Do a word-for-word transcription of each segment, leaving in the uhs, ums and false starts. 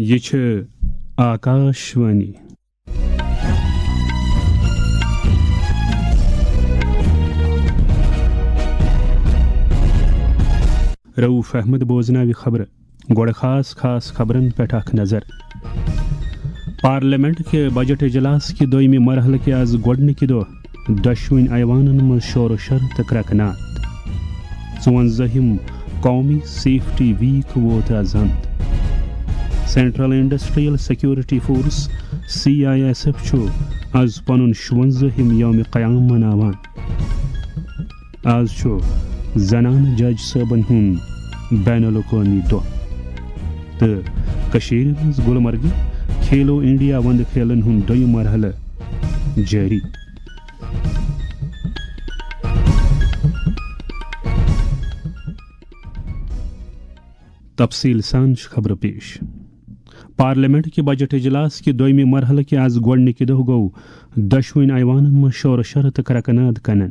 یہِ چھِ آکاش وانی۔ رؤف احمد بوزناوِ خبرٕ۔ گۄڈٕ خاص خاص خبرن پٮ۪ٹھ اکھ نظر۔ پارلیمنٹ کہِ بجٹ اجلاس کہِ دوٚیمہِ مرحلہٕ کہِ از گۄڈٕنِکہِ دۄہ دۄشوٕنۍ ایوانن منٛز شور و شر تہٕ کرٛکہٕ ناد۔ ژُوَنزٲہِم قومی سیفٹی ویک ووت از اند۔ Central industrial security force, C I S F, چھُ از پنُن شُوَنزٲہِم یوم قیام مناوان۔ از چھُ زنانہٕ جج صٲبن ہُنٛد بین الاقوٲمی دۄہ۔ تہٕ کٔشیٖرِ منٛز گُلمرگہِ کھیلو انڈیا وندٕ کھیلن ہُنٛد دوٚیِم مرحلہٕ جٲری۔ تفصیٖل سان چھِ خبرٕ پیش۔ پارلیمنٹ کہِ بجٹ اجلاس کہِ دوٚیمہِ مرحلہٕ کہِ از گۄڈٕنِکہِ دۄہ گوٚو دۄشوٕنۍ ایوانن منٛز شور و شر تہٕ کرٛکہٕ ناد کنن۔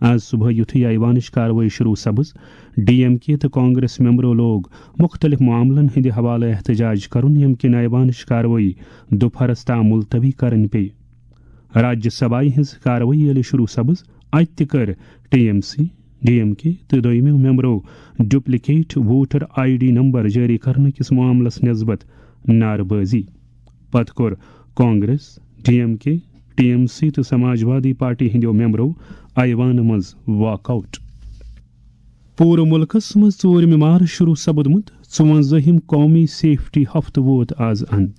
از صبحٲے یُتھُے ایوانٕچ کاروٲیی شروع سپٕز، ڈی ایم کے تہٕ کانگریس ممبرو لوگ مُختٔلِف معاملن ہٕنٛدِ حوالہٕ احتجاج کرُن، ییٚمہِ کِنۍ ایوانٕچ کاروٲیی دُپہرس تام ملتوی کرٕنۍ پیٚیہِ۔ راجیہ سبھایہِ ہٕنٛز کاروٲیی ییٚلہِ شروع سپٕز، اتہِ تہِ کٔر T M C, D M K تہٕ دوٚیمو ممبرو duplicate voter I D number جٲری کرنہٕ کِس معاملس نسبت نعرٕ بٲزی۔ پتہٕ کوٚر Congress, D M K, T M C تہٕ سماجوادی پارٹی ہٕنٛدیو ممبرو ایوانہٕ منٛز واک آؤٹ۔ پوٗرٕ مُلکَس منٛز ژوٗرِمہِ مارچ شروٗع سپُدمُت ژُوَنزٲہِم قومی سیفٹی ہفتہٕ ووت آز اند۔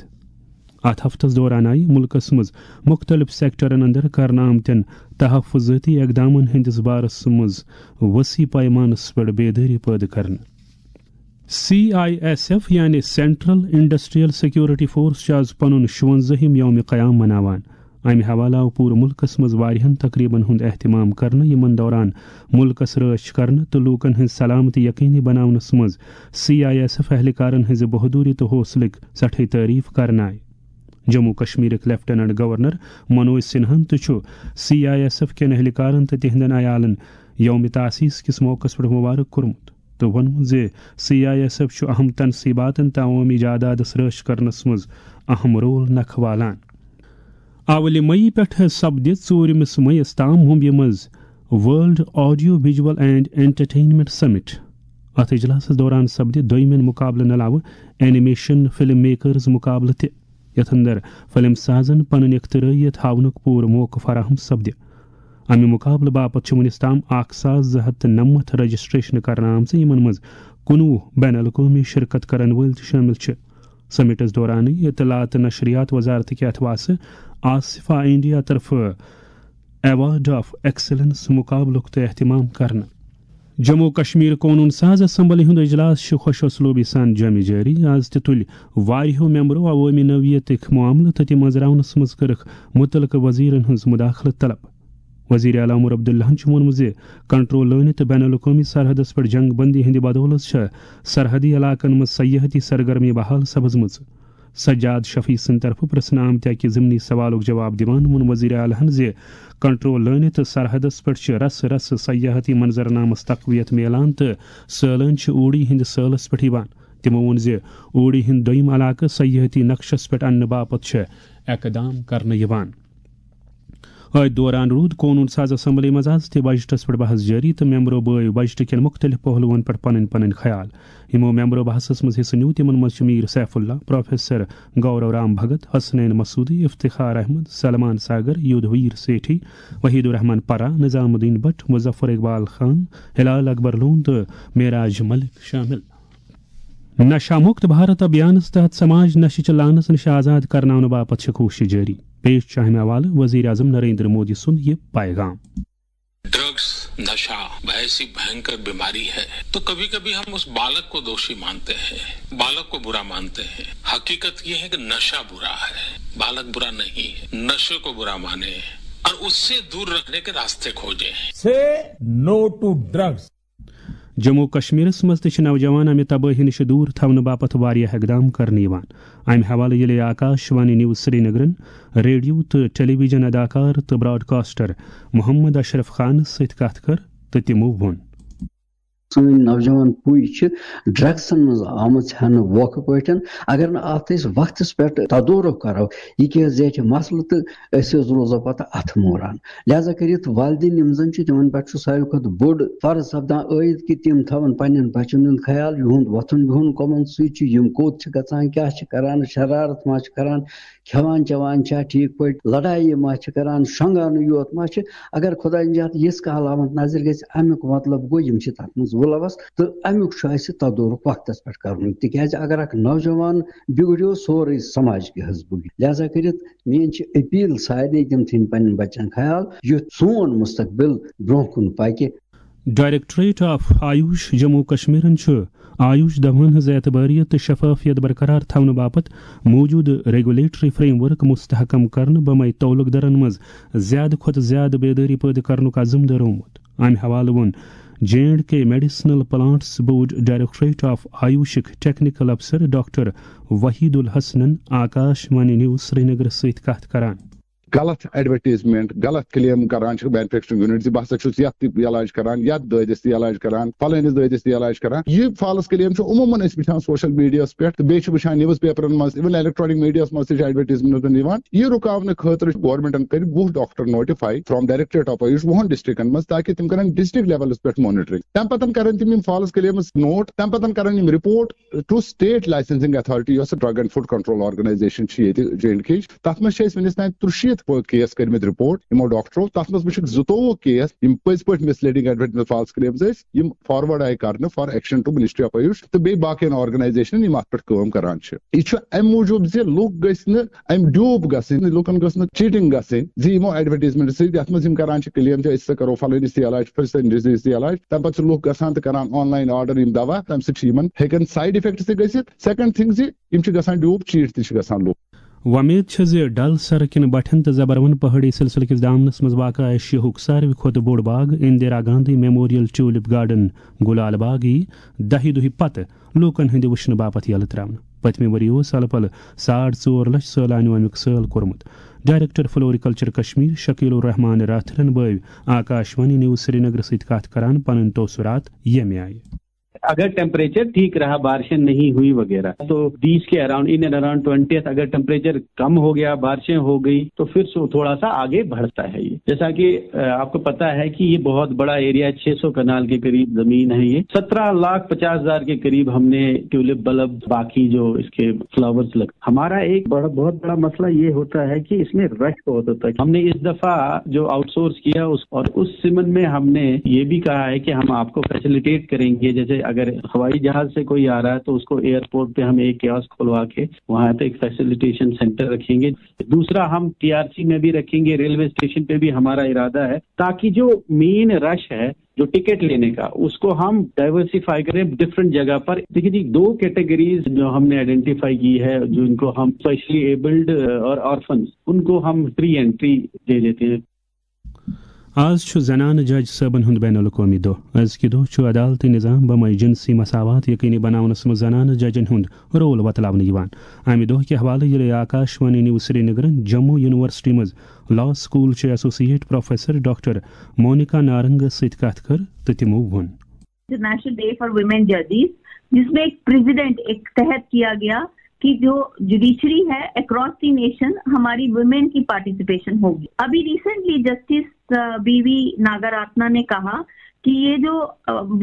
اَتھ ہفتَس دوران آیہِ مُلکَس منٛز مُختٔلِف سیکٹرَن اندر کرنہٕ آمتٮ۪ن تحفظٲتی اقدامَن ہٕنٛدِس بارَس منٛز وسیع پیمانَس پٮ۪ٹھ بیدٲری پٲدٕ کرنہٕ۔ سی آئی ایس ایف یعنی سینٹرل انڈسٹریل سیکورٹی فورس چھُ آز پنُن شُوَنزٲہِم یوم قیام مناوان۔ امہِ حوالہٕ آو پوٗرٕ مُلکَس منٛز واریاہَن تقریبن ہُنٛد اہتمام کرنہٕ، یِمَن دوران مُلکَس رٲچھ کرنہٕ تہٕ لوٗکَن ہٕنٛز سلامتی یقینی بناونَس منٛز سی آئی ایس ایف اہلکارَن ہٕنٛزِ بہادری تہٕ حوصلٕک سٮ۪ٹھٕے تعریف کرنہٕ آیہِ۔ جموں کشمیرٕک لیفٹیننٹ گورنر منوج سنہاہَن تہِ چھُ سی آئی ایس ایف کٮ۪ن اہلکارَن تہٕ تِہنٛدٮ۪ن عیالَن یوم تاسیس کِس موقعَس پٮ۪ٹھ مبارک کوٚرمُت تہٕ ووٚنمُت زِ سی آئی ایس ایف چھُ اہم تنصیباتن تہٕ عوٲمی جادادس رٲچھ کرنس منٛز اہم رول نکھٕ والان۔ اولہِ مئی پٮ۪ٹھٕ سپدِ ژوٗرِمِس مئیس تام ممبیہِ منٛز world audio visual and entertainment summit. اتھ اجلاسس دوران سپدِ دوٚیمٮ۪ن مقابلن علاوٕ اینیمیشن فلم میکرز مقابلہٕ تہِ، یتھ اندر فلم سازن پنٕنۍ اختراعیت ہاونُک پوٗرٕ موقعہٕ فراہم سپدِ۔ امہِ مقابلہٕ باپتھ چھِ وُنِس تام اکھ ساس زٕ ہتھ تہٕ نَمَتھ رجسٹریشن کرنہٕ آمژٕ، یِمن منٛز کُنوُہ بین الاقوٲمی شرکت کرن وٲلۍ تہِ شٲمِل چھِ۔ سمٹس دورانٕے اطلاعات تہٕ نشریات وزارت کہِ اتھواسہٕ آصفا انڈیا طرفہٕ ایوارڈ آف ایکسلنس مقابلُک تہِ اہتمام کرنہٕ۔ جموں و کشمیر قونوٗن ساز اسمبلی ہُنٛد اجلاس چھُ خۄش اسلوبی سان جٲمی جٲری۔ از تہِ تُلۍ واریاہو ممبرو عوٲمی نوعیتٕکۍ معاملہٕ تہٕ تِم أنٛزراونس منٛز کٔرٕکھ مُتعلقہٕ وزیرن ہٕنٛز مداخلت طلب۔ وزیر اعلیٰ عمر عبداللہَن چھُ ووٚنمُت زِ کنٹرول لٲنہِ تہٕ بین الاقوٲمی سرحدس پٮ۪ٹھ جنگ بندی ہٕنٛدِ بدولژ چھےٚ سرحدی علاقن منٛز سیاحتی سرگرمی بحال سپٕزمٕژ۔ سجاد شفیع سٕنٛدِ طرفہٕ پرٛژھنہٕ آمتہِ اکہِ ضمنی سوالُک جواب دِوان ووٚن وزیر اعلیٰ ہَن زِ کنٹرول لٲنہِ تہٕ سرحدس پٮ۪ٹھ چھِ رسہٕ رسہٕ سیاحتی منظرنامس تقویت میلان تہٕ سٲلٲنۍ چھِ اوٗڑی ہٕنٛدِ سٲلس پٮ۪ٹھ یِوان۔ تِمو ووٚن زِ اوٗڑی ہٕنٛدۍ دوٚیِم علاقہٕ سیاحتی نقشس پٮ۪ٹھ اننہٕ باپتھ چھِ اقدام کرنہٕ یِوان۔ أتھۍ دوران روٗد قونوٗن ساز اسمبلی منٛز از تہِ بجٹس پٮ۪ٹھ بحث جٲری تہٕ ممبرو بٲوۍ بجٹ کٮ۪ن مُختٔلِف پہلوَن پٮ۪ٹھ پنٕنۍ پنٕنۍ خیال۔ یِمو ممبرو بحثس منٛز حصہٕ نیوٗ، تِمن منٛز چھِ میر سیف اللہ، پروفیسر گورو رام بھگت، حسنین مسعودی، افتخار احمد، سلمان ساگر، یودھویر سیٹھی، وحید الرحمان پرا، نظام الدین بٹ، مظفر اقبال خان، ہلال اکبر لون تہٕ معراج ملک شٲمِل۔ نشہ مکت بھارت ابھیانس تحت سماج نشہ چہ لعنس نش آزاد کرناونہٕ باپتھ چھِ کوٗشش جٲری۔ پیش چھُ اہم حوالہٕ وزیر اعظم نریندر مودی سُنٛد یہِ پیغام۔ ڈرگز، نشہ ایسی بھینکر بیماری ہے، تو کبھی کبھی ہم اس بالک کو دوشی مانتے ہیں، بالک کو برا مانتے ہیں۔ حقیقت یہ ہے کہ نشہ برا ہے، بالک برا نہیں ہے۔ نشے کو برا مانے اور اس سے دور رکھنے کے راستے کھوجیں۔ Say no to drugs. Jammu و کشمیرس منٛز تہِ چھِ نوجوان امہِ تبٲہی نِش دوٗر تھاونہٕ باپتھ واریاہ اقدام کرنہٕ یِوان۔ امہِ حوالہٕ ییٚلہِ آکاش وانی نیوز سرینگرن ریڈیو تہٕ ٹیلی ویژن اداکار تہٕ براڈکاسٹر محمد اشرف خانس سۭتۍ کتھ کٔر تہٕ تِمو ووٚن۔ سٲنۍ نوجوان پُے چھِ ڈرگسن منٛز آمٕژ ہٮ۪نہٕ ووکھٕ پٲٹھۍ۔ اگر نہٕ اتھ أسۍ وقتس پٮ۪ٹھ تدورُک کرو، یہِ کیٛاہ حظ زیٹھِ مسلہٕ تہٕ أسۍ حظ روزو پتہٕ اتھٕ موران۔ لہذا کٔرِتھ والدین یِم زن چھِ، تِمن پٮ۪ٹھ چھُ ساروی کھۄتہٕ بوٚڑ فرض سپدان عٲید کہِ تِم تھاوَن پننٮ۪ن بچن ہُنٛد خیال، یِہُنٛد وۄتھُن بِہُن کمن سۭتۍ چھُ، یِم کوٚت چھِ گژھان، کیٛاہ چھِ کران، شرارت ما چھِ کران، کھٮ۪وان چٮ۪وان چھا ٹھیٖک پٲٹھۍ، لڑایہِ ما چھِ کران، شۄنٛگانٕے یوت ما چھِ۔ اگر خۄداے نجات یِژھ کانٛہہ علامت نظرِ گژھِ، اَمیُک مطلب گوٚو یِم چھِ تَتھ منٛز مُلوث، تہٕ اَمیُک چھُ اَسہِ تدورُک وقتس پٮ۪ٹھ کرُن۔ تِکیٛازِ اگر اکھ نوجوان بِگڑیو، سورُے سماج کیٛاہ حظ بِگڑِ۔ لہذا کٔرِتھ میٛٲنۍ چھِ اپیل سارنٕے، تِم تھٲیِن پننٮ۪ن بچن خیال، یُتھ سون مستقبل برونٛہہ کُن پکہِ۔ ڈائریکٹوریٹ آف آیوش جموں کشمیرن چھُ آیوش دوہن ہٕنٛز اعتباریت تہٕ شفافیت برقرار تھاونہٕ باپتھ موجودٕ ریگولیٹری فریم ورک مستحکم کرنہٕ بمے تعلق دارن منٛز زیادٕ کھۄتہٕ زیادٕ بیدٲری پٲدٕ کرنُک عزم دٲرومُت۔ امہِ حوالہٕ ووٚن J and K medicinal plants board directorate of آیوشک ٹیکنیکل افسر ڈاکٹر وحید الحسنن آکاش وانی نیوز سرینگرس سۭتۍ کتھ کران۔ غلط ایڈورٹیزمنٹ، غلط کلیم کران چھِ مینوفیکچرنگ یونٹ زِ بہٕ ہسا چھُس یتھ تہِ علاج کران، یتھ دٲدِس تہِ علاج کران، فلٲنِس دٲدِس تہِ علاج کران۔ یہِ فالس کلیم چھُ عموٗماً أسۍ وٕچھان سوشل میڈیاہس پٮ۪ٹھ تہٕ بیٚیہِ چھِ وٕچھان نیوز پیپرن منٛز، even electronic mediaہس منٛز تہِ چھِ ایڈورٹیزمنٹ یِوان۔ یہِ رُکاونہٕ خٲطرٕ چھُ گورنمنٹن کٔرۍ وُہ doctor notify from directorate of AYUSH وُہن ڈسٹرکٹن منٛز، تاکہِ تِم کرن ڈسٹرکٹ لیولس پٮ۪ٹھ مانیٹرنگ۔ تمہِ پتن کرن تِم یِم فالس کلیمز نوٹ، تمہِ پتن کرن یِم report to state licensing authority, یۄس drug and food control organisation چھِ ییٚتہِ جے اینڈ کے۔ تتھ منٛز چھِ اَسہِ وٕنِس تام ترُشیٖتھ کیس کٔرمٕتۍ رپورٹ یِمو ڈاکٹرو۔ تتھ منٛز وٕچھِکھ زٕتووُہ کیس، یِم پٔزۍ پٲٹھۍ مسلیڈنگ ایڈورٹیزمنٹ فالس کلیمز ٲسۍ، یِم فارورڈ آیہِ کرنہٕ for action to ministry of Ayush تہٕ بیٚیہِ باقین آرگنائزیشنن یِم اتھ پٮ۪ٹھ کٲم کران چھِ۔ یہِ چھُ امہِ موٗجوٗب زِ لُکھ گٔژھۍ نہٕ امہِ ڈیوٗپ گژھٕنۍ، لُکن گٔژھ نہٕ چیٹنگ گژھٕنۍ زِ یِمو ایڈورٹیزمنٹ سۭتۍ، یتھ منٛز یِم کران چھِ کلیم زِ أسۍ ہسا کرو فلٲنِس تہِ علاج، فلٲنِس تہِ علاج، تمہِ پتہٕ چھِ لُکھ گژھان تہٕ کران آن لائن آرڈر یِم دوا، تمہِ سۭتۍ چھِ یِمن ہیٚکن سائیڈ افیکٹ تہِ گٔژھِتھ۔ سیکنڈ تھنگ زِ یِم چھِ گژھان ڈیوٗپ، چیٹ تہِ چھِ گژھان لُکھ۔ وۄمید چھےٚ زِ ڈل سرٕ کِنۍ بٹھٮ۪ن تہٕ زبروَن پہٲڑی سلسلہٕ کِس دامنَس منٛز واقع ایشیاہُک ساروی کھۄتہٕ بوٚڑ باغ Indira Gandhi memorial tulip garden گُلال باغ یی دَہہِ دۄہہِ پتہٕ لوٗکَن ہٕنٛدِ وٕچھنہٕ باپتھ یَلہٕ ترٛاونہٕ۔ پٔتمہِ ؤرۍ یہِ اوس الہٕ پلہٕ ساڑ ژور لچھ سٲلانیو اَمیُک سٲل کوٚرمُت۔ ڈائریکٹر فلوریکلچر کشمیر شکیل الرحمان راتھرَن بٲوۍ آکاش وانی نیوز سرینگر سۭتۍ کتھ کران پنٕنۍ تٲثرات ییٚمہِ آیہِ۔ اگر ٹیمپریچر ٹھیک رہا، بارشیں نہیں ہوئی وغیرہ، تو بیس کے around, in and around twenty, اگر ٹیمپریچر کم ہو گیا، بارشیں ہو گئی، تو پھر سو- تھوڑا سا آگے بڑھتا ہے یہ۔ جیسا کہ آ، آپ کو پتا ہے کہ یہ بہت بڑا ایریا، چھ سو کنال کے قریب زمین ہے۔ یہ سترہ لاکھ پچاس ہزار کے قریب ہم نے ٹیولپ بلب، باقی جو اس کے فلاورز لگ ہمارا ایک بڑا، بہت بڑا مسئلہ یہ ہوتا ہے کہ اس میں رش بہت ہوتا ہے۔ ہم نے اس دفعہ جو آؤٹ سورس کیا اس، اور اس سمن میں ہم نے یہ بھی کہا ہے کہ ہم آپ کو فیسیلیٹیٹ کریں گے، جیسے اگر ہوائی جہاز سے کوئی آ رہا ہے تو اس کو ایئرپورٹ پہ ہم ایک کیاسک کھلوا کے وہاں پہ ایک فیسیلیٹیشن سینٹر رکھیں گے۔ دوسرا، ہم ٹی آر سی میں بھی رکھیں گے، ریلوے اسٹیشن پہ بھی ہمارا ارادہ ہے، تاکہ جو مین رش ہے جو ٹکٹ لینے کا، اس کو ہم ڈائیورسیفائی کریں ڈفرنٹ جگہ پر۔ دیکھیے جی، دو کیٹیگریز جو ہم نے آئیڈینٹیفائی کی ہے، جو ان کو ہم اسپیشلی ایبلڈ اور آرفنز، ان کو ہم فری انٹری دے دیتے ہیں۔ آز چھُ زنانہٕ جج صٲبن ہُنٛد بین الاقوٲمی دۄہ۔ أزکہِ دۄہ چھُ عدالتی نظام بمے جنسی مساوات یقینی بناونس منٛز زنانہٕ ججن ہُنٛد رول وۄتلاونہٕ یِوان۔ امہِ دۄہ کہِ حوالہٕ ییٚلہِ آکاش وانی نیوز سرینگرن جموں یونیورسٹی منٛز لا سکول چہِ ایسوسیٹ پروفیسر ڈاکٹر مونیکا نارنگس سۭتۍ کتھ کٔر تہٕ تِمو ووٚن۔ انٹرنیشنل ڈے فار ویمن ججز، جس میں ایک پریزیڈنٹ ایک تحت کیا گیا کہ جو جوڈیشری ہے اکراس دی نیشن ہماری ویمن کی پارٹیسپیشن ہوگی۔ ابھی recently justice B V Nagarathna نے کہا کہ یہ جو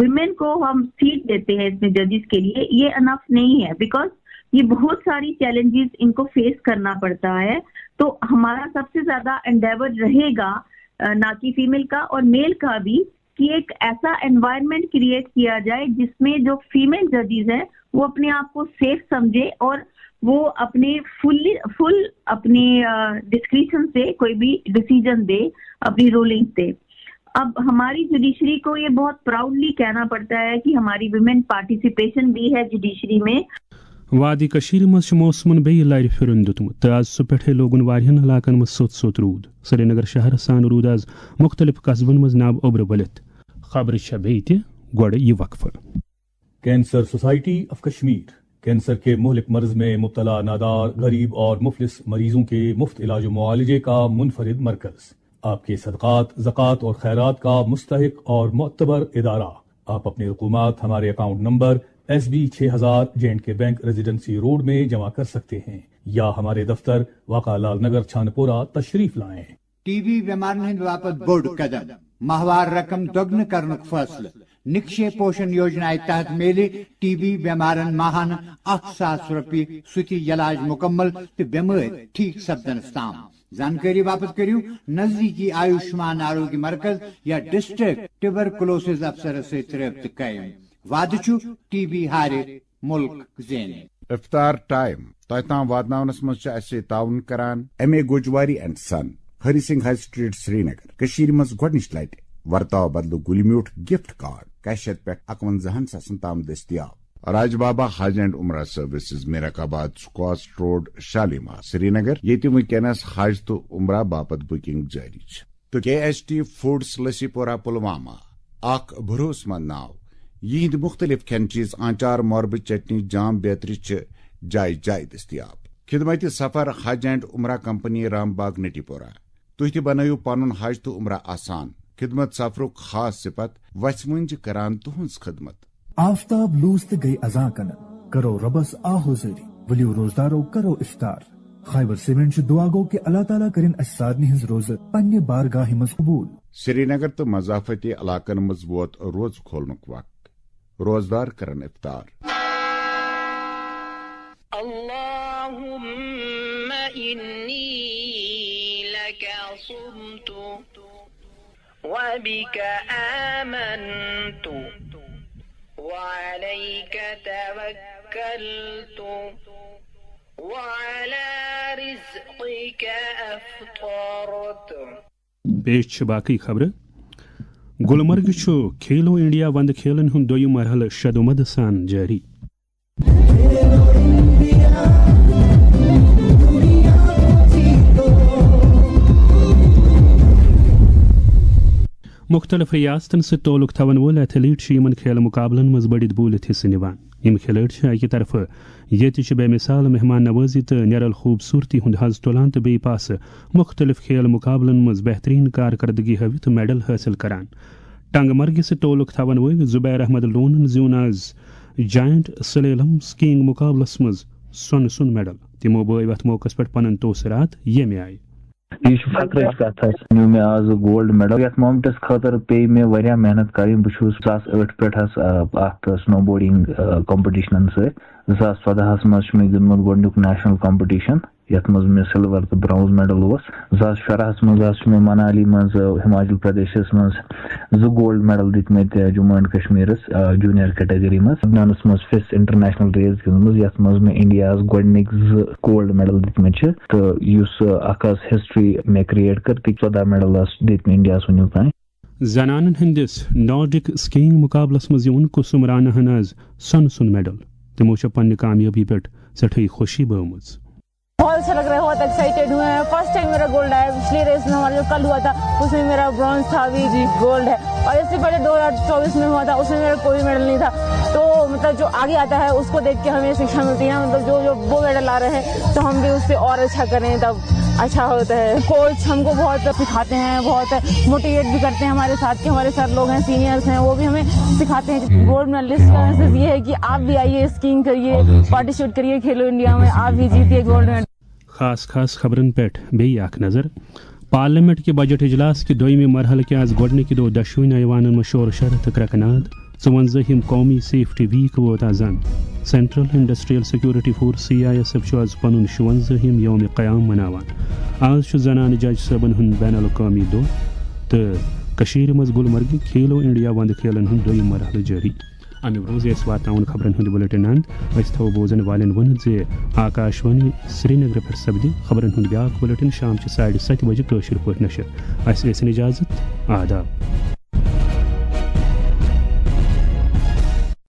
ویمن کو ہم سیٹ دیتے ہیں اس میں ججز کے لیے، یہ انف نہیں ہے، بیکاز یہ بہت ساری چیلنجز ان کو فیس کرنا پڑتا ہے۔ تو ہمارا سب سے زیادہ انڈیور رہے گا، آ، نہ کہ فیمیل کا اور میل کا بھی، کہ ایک ایسا انوائرمنٹ کریئٹ کیا جائے جس میں جو فیمیل ججز ہیں وہ اپنے آپ کو سیف سمجھے اور وہ اپنے فلی فل اپنی ڈسکریشن سے کوئی بھی ڈیسیجن دے، اپنی رولنگ دے۔ اب ہماری جوڈیشری کو یہ بہت پراؤڈلی کہنا پڑتا ہے کہ ہماری ویمن پارٹیسپیشن بھی ہے جوڈیشری میں۔ وادی کٔشیٖرِ منٛز چھُ موسمَن بیٚیہِ لَرِ پھِرُن دیُتمُت تہٕ آز صُبحَس پٮ۪ٹھَے لوگُن واریاہَن علاقَن منٛز سوٚت سوٚت روٗد۔ سرینگر شہرَس سان روٗد آز مُختٔلِف قصبَن منٛز نَب اوٚبرٕ ؤلِتھ۔ خبرٕ چھےٚ بیٚیہِ تہِ، گۄڈٕ یہِ وقفہٕ۔ Cancer society of Kashmir cancer کے مہلک مرض میں مبتلا نادار، غریب اور مفلس مریضوں کے مفت علاج و معالجے کا منفرد مرکز۔ آپ کے صدقات، زکوٰۃ اور خیرات کا مستحق اور معتبر ادارہ۔ आप अपने रकूमात हमारे अकाउंट नंबर एस बी छः हज़ार जे एंड के बैंक रेजिडेंसी रोड में जमा कर सकते हैं या हमारे दफ्तर वाका लाल नगर छानपुरा तशरीफ लाएं। ٹی بی بیمارن ہٕنٛدِ باپتھ بوٚڑ قدم، ماہوار رقم دۄگنہٕ کرنُک فٲصلہٕ۔ نقشے پوشن یوجنایہِ تحت میلہِ ٹی بی بیمارن ماہانہٕ اکھ ساس رۄپیہِ سُہ تہِ یلاج مکمل تہٕ بیمٲرۍ ٹھیک سپدنس تام۔ زانکٲری باپتھ کٔرِو نزدیٖکی آیوشمان آروگیہ مرکز یا ڈسٹرکٹ ٹیوبرکلوسز افسرس سۭتۍ رٲبطہٕ قٲیِم۔ وعدٕ چھُ ٹی بی ہارِ مُلک زینہِ۔ افطار ٹائم تۄہہِ تام واتناونس منٛز چھِ اسہِ تعاون کران M A Gojwari and son, Hari Singh high street, Srinagar. کٔشیٖرِ منٛز گۄڈٕنِچ لٹہِ ورتاو بدلہٕ گُلہِ میوٗٹھ گفٹ کارڈ کیشت پٮ۪ٹھ اکونزہن ساسن تام دٔستیاب۔ راج بابا حج اینڈ عمرہ سروسز، میرک آباد سکواس روڈ، شالیمار، سرینگر، ییٚتہِ وٕنکیٚنس حج تہٕ عمرہ باپتھ بُکنگ جٲری چھِ۔ تہٕ کے ایس ٹی فوڈس، لسی پورہ، پلوامہ، اکھ بھروسہٕ مند ناو۔ یِہنٛدۍ مُختٔلِف کھٮ۪ن چیٖز، آنچار، مۄربہٕ، چٹنی، جام بیترِ چھِ جایہِ جایہِ دٔستیاب۔ خدمت سفر حج اینڈ عمرہ کمپنی، رام باغ، نٹی پورہ۔ تُہۍ تہِ بنٲیِو پنُن حج تہٕ عمرہ آسان۔ خدمت سفرُک خاص صفت، وژھِ مۄنجہِ کران تُہنٛز خدمت۔ آفتاب لوٗس تہٕ گٔے اذاں کنن، کرو رۄبس آہ و زٲری، ؤلِو روزدارو کرو افطار۔ خیبر سیمنٹ چھُ دعا گو کہِ اللہ تعالیٰ کٔرِن اسہِ سارنٕے ہٕنٛز روزٕ پننہِ بارگاہہِ منٛز قبوٗل۔ سرینگر تہٕ مضافتی علاقن منٛز ووت روزٕ کھولنُک وقت، روزدار کرن افطار۔ اللهم إني لك صمت وبك آمنت وعليك توكلت وعلى رزقك أفطرت۔ پیش چھِ باقٕے خبرٕ۔ گُلمرگہِ چھُ کھیلو انڈیا وندٕ کھیلن ہُنٛد دوٚیِم مرحلہٕ شدومد سان جٲری۔ مُختٔلِف رِیاستَن سۭتۍ تعلق تھاوَن وٲلۍ ایتھلیٹ چھِ یِمَن کھیلہٕ مُقابلَن منٛز بٔڑِتھ بوٗلِتھ حصہٕ نِوان۔ یِم کھلٲڑۍ چھِ اَکہِ طرفہٕ ییٚتہِ چھِ بے مثال مہمان نوازی تہٕ نیرل خوٗبصوٗرتی ہُنٛد حظ تُلان تہٕ بیٚیہِ پاسہٕ مُختٔلِف کھیل مُقابلَن منٛز بہتریٖن کارکردگی ہٲوِتھ میڈل حٲصِل کران۔ ٹنگ مرگہِ سۭتۍ تعلق تھاوَن وٲلۍ زبیر احمد لونَن زیوٗن آز جاینٹ سلیلم سکینگ مُقابلَس منٛز سۄنہٕ سُنٛد میڈل۔ تِمو بٲوۍ اَتھ موقعَس پٮ۪ٹھ پنٕنۍ تٲثیٖرات ییٚمہِ آیہِ۔ یہِ چھِ فخرٕچ کتھ حظ، نیوٗ مےٚ آز گولڈ میڈل۔ یتھ مومنٹس خٲطرٕ پیٚیہِ مےٚ واریاہ محنت کرٕنۍ۔ بہٕ چھُس زٕ ساس ٲٹھ پٮ۪ٹھ حظ، آ، اتھ سنو بورڈنگ، آ، کمپٹیشنن سۭتۍ۔ زٕ ساس ژۄدہس منٛز چھُ مےٚ گیوٚنٛدمُت گۄڈٕنیُک نیشنل کمپٹیشن، یتھ منٛز مےٚ سلور تہٕ برونز میڈل اوس۔ زٕ ساس شُراہس منٛز حظ چھُ مےٚ منالی منٛز، آ، ہماچل پردیشس منٛز زٕ گولڈ میڈل دِتمٕتۍ، آ، جموں اینڈ کشمیرس، آ، جونیئر کیٹیگری منٛز۔ لبنانس منٛز فِس انٹرنیشنل ریس گِنٛدمٕژ، یتھ منٛز مےٚ انڈیاہس گۄڈٕنِکۍ زٕ گولڈ میڈل دِتمٕتۍ چھِ، تہٕ یُس، آ، اکھ حظ ہسٹری مےٚ کریٹ کٔر، تہٕ ژۄداہ میڈل آسہٕ دِتمٕتۍ انڈیاہس وُنیُک تام۔ زنانن ہٕنٛدِس نارڈک سکینگ مقابلس منٛز زیوٗن کسم رانا ہن آز سۄنہٕ سُنٛد میڈل۔ تِمو چھےٚ پننہِ کامیٲبی پٮ۪ٹھ سٮ۪ٹھٕے خوشی بٲومٕژ۔ बहुत अच्छा लग रहा है, बहुत एक्साइटेड हुए हैं। फर्स्ट टाइम मेरा गोल्ड आया। पिछली रेस में हमारा जो कल हुआ था, उसमें मेरा ब्रॉन्ज था, अभी जी गोल्ड है। और इससे पहले दो हज़ार चौबीस में हुआ था, उसमें मेरा कोई मेडल नहीं था। तो मतलब जो आगे आता है, उसको देख के हमें शिक्षा मिलती है ना, मतलब जो जो वो मेडल ला रहे हैं, तो हम भी उससे और अच्छा करें, तब अच्छा होता है। कोच हमको बहुत सिखाते हैं, बहुत मोटिवेट भी करते हैं हमारे साथ के हमारे सर लोग हैं, सीनियर्स हैं, वो भी हमें सिखाते हैं। गोल्ड मेडलिस्ट का मैसेज ये है कि आप भी आइए, स्कीइंग करिए, पार्टिसिपेट करिए खेलो इंडिया में, आप भी जीतिए गोल्ड मेडल। خاص خاص خبرن پٮ۪ٹھ بیٚیہِ اکھ نظر۔ پارلیمنٹ کہِ بجٹ اجلاس کہِ دوٚیمہِ مرحلہٕ کہِ آز گۄڈٕنِکہِ دۄہ دۄشوٕنی ایوانن منٛز شور شر تہٕ کرٛٮ۪کہٕ ناد۔ ژُوَنزٲہِم قومی سیفٹی ویک ووت آز اند۔ Central industrial security force, C I S F, چھُ آز پنُن شُوَنزٲہِم یوم قیام مناوان۔ آز چھُ زنانہٕ جج صٲبن ہُنٛد بین الاقوامی دۄہ تہٕ کٔشیٖرِ منٛز گلمرگہِ کھیلو انڈیا وندٕ کھیلن ہُنٛد دوٚیِم مرحلہٕ جٲری۔ اَمہِ برٛونٛہہ زِ أسۍ واتناوون خبرن ہُنٛد بلیٹن اند، أسۍ تھاوو بوزن والٮ۪ن ؤنِتھ زِ آکاش وانی سرینگرٕ پٮ۪ٹھ سپدِ خبرن ہُنٛد بیٛاکھ بلیٹن شام چہِ ساڑِ ستہِ بجہِ کٲشِر پٲٹھۍ نشر۔ اَسہِ ٲسِن اجازت۔ آداب۔